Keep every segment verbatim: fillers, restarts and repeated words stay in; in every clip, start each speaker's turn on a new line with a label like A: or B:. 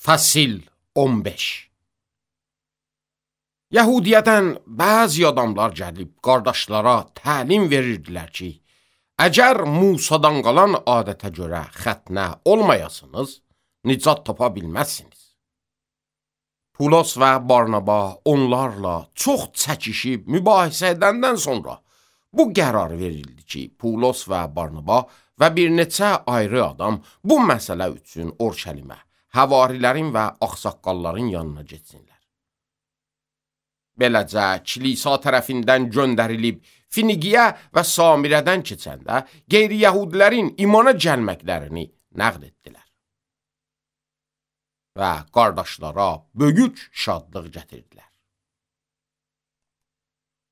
A: Fəsil on beş. Yəhudiyyədən bəzi adamlar gəlib qardaşlara təlim verirdilər ki, əgər Musadan qalan adətə görə xətnə olmayasınız, nicat tapa bilməzsiniz. Pulos və Barnaba onlarla çox çəkişib mübahisə edəndən sonra bu qərar verildi ki, Pulos və Barnaba və bir neçə ayrı adam bu məsələ üçün Orşəlimə, həvarilərin və ağsaqqalların yanına getsinlər. Beləcə, kilisa tərəfindən göndərilib Finigiyə və Samirədən keçəndə qeyri-yəhudilərin imana gəlməklərini nəql etdilər. Və qardaşlara böyük şadlıq gətirdilər.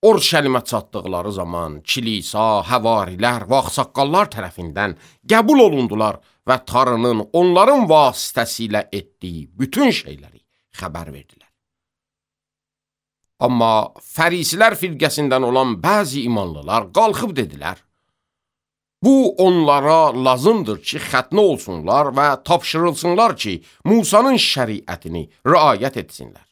A: Orşəlimə çatdıqları zaman kilisa, həvarilər və ağsaqqallar tərəfindən qəbul olundular və Tanrının onların vasitəsilə etdiyi bütün şeyləri xəbər verdilər. Amma fərisilər firqəsindən olan bəzi imanlılar qalxıb dedilər, bu onlara lazımdır ki, xətnə olsunlar və tapşırılsınlar ki, Musanın şəriətini riayət etsinlər.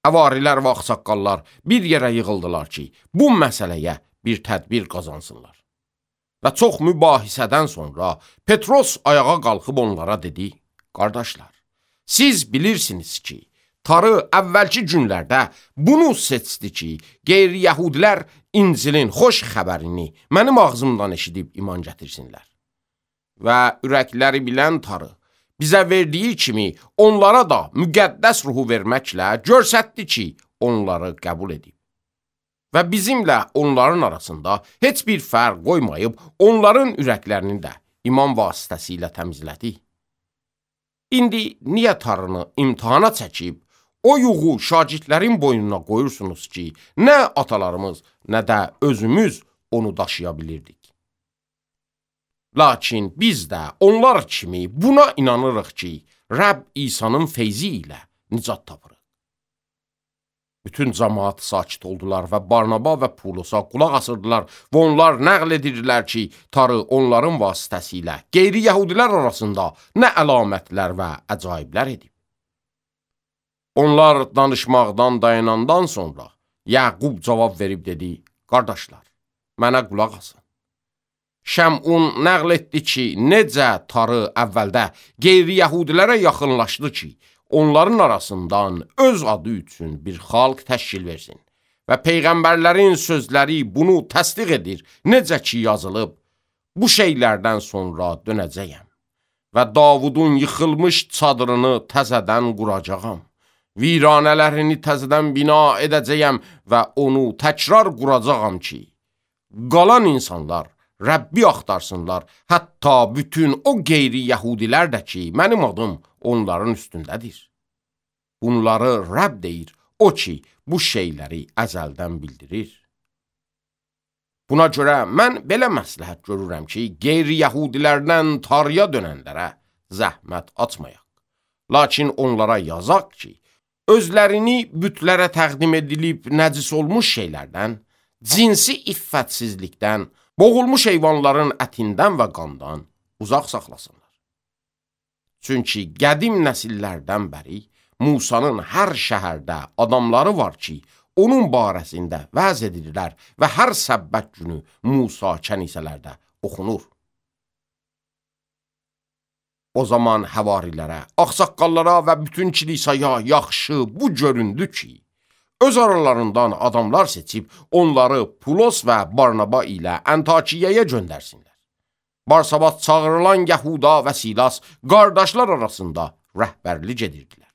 A: Həvarilər və ağsaqqallar bir yerə yığıldılar ki, bu məsələyə bir tədbir qazansınlar. Və çox mübahisədən sonra Petros ayağa qalxıb onlara dedi, qardaşlar, siz bilirsiniz ki, Tanrı əvvəlki günlərdə bunu seçdi ki, qeyri-yəhudilər İncilin xoş xəbərini mənim ağzımdan eşidib iman gətirsinlər. Və ürəkləri bilən Tanrı bizə verdiyi kimi onlara da müqəddəs ruhu verməklə göstərdi ki, onları qəbul edib. Və bizimlə onların arasında heç bir fərq qoymayıb, onların ürəklərini də iman vasitəsilə təmizlədi. İndi niyə Tanrını imtihana çəkib, o yuğu şagirdlərin boynuna qoyursunuz ki, nə atalarımız, nə də özümüz onu daşıya bilirdik. Lakin biz də onlar kimi buna inanırıq ki, Rəbb İsa'nın feyzi ilə nicat tapırıq. Bütün cəmaat sakit oldular və Barnaba və Pulosa qulaq asırdılar və onlar nəql edirdilər ki, Tanrı onların vasitəsilə qeyri-yəhudilər arasında nə əlamətlər və əcaiblər edib. Onlar danışmaqdan dayanandan sonra Yaqub cavab verib dedi, qardaşlar, mənə qulaq asın. Şəmun nəql etdi ki, necə Tanrı əvvəldə qeyri-yəhudilərə yaxınlaşdı ki, onların arasından öz adı üçün bir xalq təşkil versin. Və peyğəmbərlərin sözləri bunu təsdiq edir, necə ki yazılıb, bu şeylərdən sonra dönəcəyəm və Davudun yıxılmış çadırını təzədən quracağam. Viranələrini təzədən bina edəcəyəm və onu təkrar quracağam ki, qalan insanlar Rəbbi axtarsınlar, hətta bütün o qeyri-yəhudilər də ki, mənim adım onların üstündədir. Bunları Rəbb deyir, o ki, bu şeyləri əzəldən bildirir. Buna görə mən belə məsləhət görürəm ki, qeyri-yəhudilərdən Tanrıya dönənlərə zəhmət açmayaq. Lakin onlara yazaq ki, özlərini bütlərə təqdim edilib nəcis olmuş şeylərdən, cinsi iffətsizlikdən, boğulmuş heyvanların ətindən və qandan uzaq saxlasınlar. Çünki qədim nəsillərdən bəri Musanın hər şəhərdə adamları var ki, onun barəsində vəz edirlər və hər səbbət günü Musa kənisələrdə oxunur. O zaman həvarilərə, ağsaqqallara və bütün kilisaya yaxşı bu göründü ki, öz aralarından adamlar seçib onları Pulos və Barnaba ilə Antakiyaya göndərsinlər. Barsabat çağırılan Yəhuda və Silas qardaşlar arasında rəhbərlik edirdilər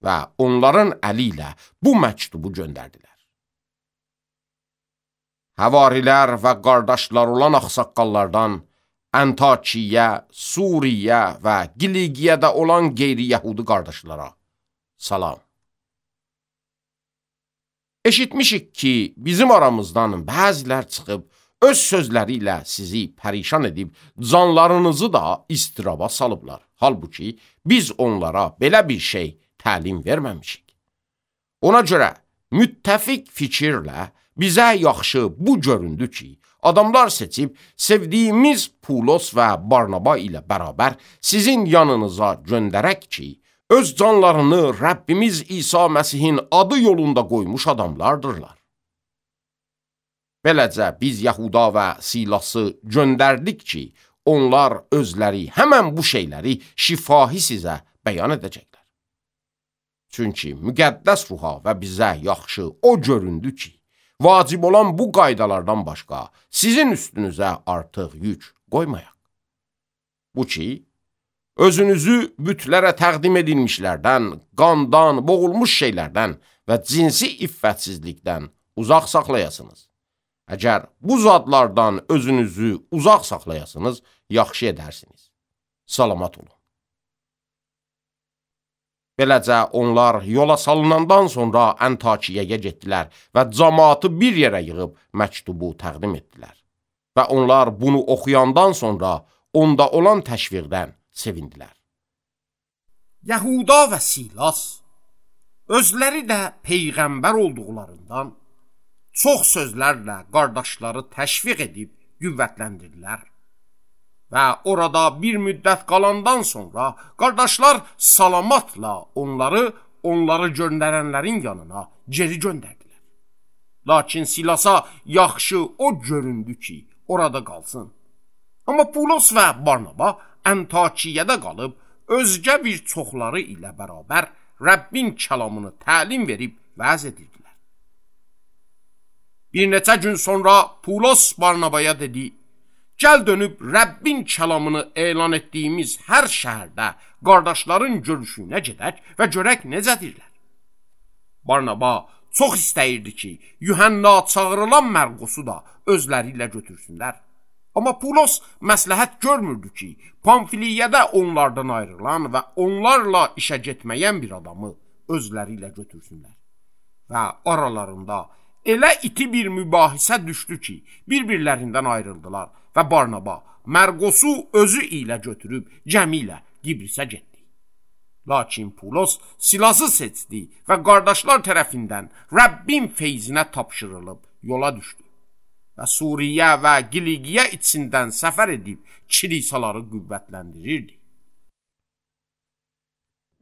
A: və onların əli ilə bu məktubu göndərdilər. Həvarilər və qardaşlar olan ağsaqqallardan Antakiya, Suriya və Qiligiyədə olan qeyri-yəhudi qardaşlara salam. Eşitmişik ki, bizim aramızdan bəzilər çıxıb, öz sözləri ilə sizi pərişan edib, canlarınızı da istiraba salıblar. Halbuki, biz onlara belə bir şey təlim verməmişik. Ona görə, müttəfiq fikirlə bizə yaxşı bu göründü ki, adamlar seçib, sevdiyimiz Pulos və Barnaba ilə bərabər sizin yanınıza göndərək ki, öz canlarını Rəbbimiz İsa Məsihin adı yolunda qoymuş adamlardırlar. Beləcə biz Yahuda və Silası göndərdik ki, onlar özləri həmən bu şeyləri şifahi sizə bəyan edəcəklər. Çünki müqəddəs ruha və bizə yaxşı o göründü ki, vacib olan bu qaydalardan başqa sizin üstünüzə artıq yük qoymayaq. Bu ki, özünüzü bütlərə təqdim edilmişlərdən, qandan, boğulmuş şeylərdən və cinsi iffətsizlikdən uzaq saxlayasınız. Əgər bu zadlardan özünüzü uzaq saxlayasınız, yaxşı edərsiniz. Salamat olun. Beləcə onlar yola salınandan sonra Antakiyaya getdilər və cəmaatı bir yerə yığıb məktubu təqdim etdilər. Və onlar bunu oxuyandan sonra onda olan təşviqdən sevindilər.
B: Yahuda və Silas özləri də peyğəmbər olduqlarından çox sözlərlə qardaşları təşviq edib qüvvətləndirdilər. Və orada bir müddət qalandan sonra qardaşlar salamatla onları, onları göndərənlərin yanına geri göndərdilər. Lakin Silasa yaxşı o göründü ki, orada qalsın. Amma Pulos və Barnaba Antakiyada qalıb, özgə bir çoxları ilə bərabər Rəbbin kəlamını təlim verib vəz edirdilər. Bir neçə gün sonra Pulos Barnabaya dedi, gəl dönüb Rəbbin kəlamını elan etdiyimiz hər şəhərdə qardaşların görüşünə gedək və görək necədirlər. Barnaba çox istəyirdi ki, Yuhanna çağırılan Mərqusu da özləri ilə götürsünlər. Amma Pulos məsləhət görmürdü ki, Pamfiliyədə onlardan ayrılan və onlarla işə getməyən bir adamı özləri ilə götürsünlər. Və aralarında elə iti bir mübahisə düşdü ki, bir-birlərindən ayrıldılar və Barnaba Mərqusu özü ilə götürüb gəmi ilə Gibrisə getdi. Lakin Pulos Silası seçdi və qardaşlar tərəfindən Rəbbin feyzinə tapşırılıb yola düşdü. Və Suriyə və Qiliqiya içindən səfər edib kilisaları qüvvətləndirirdi.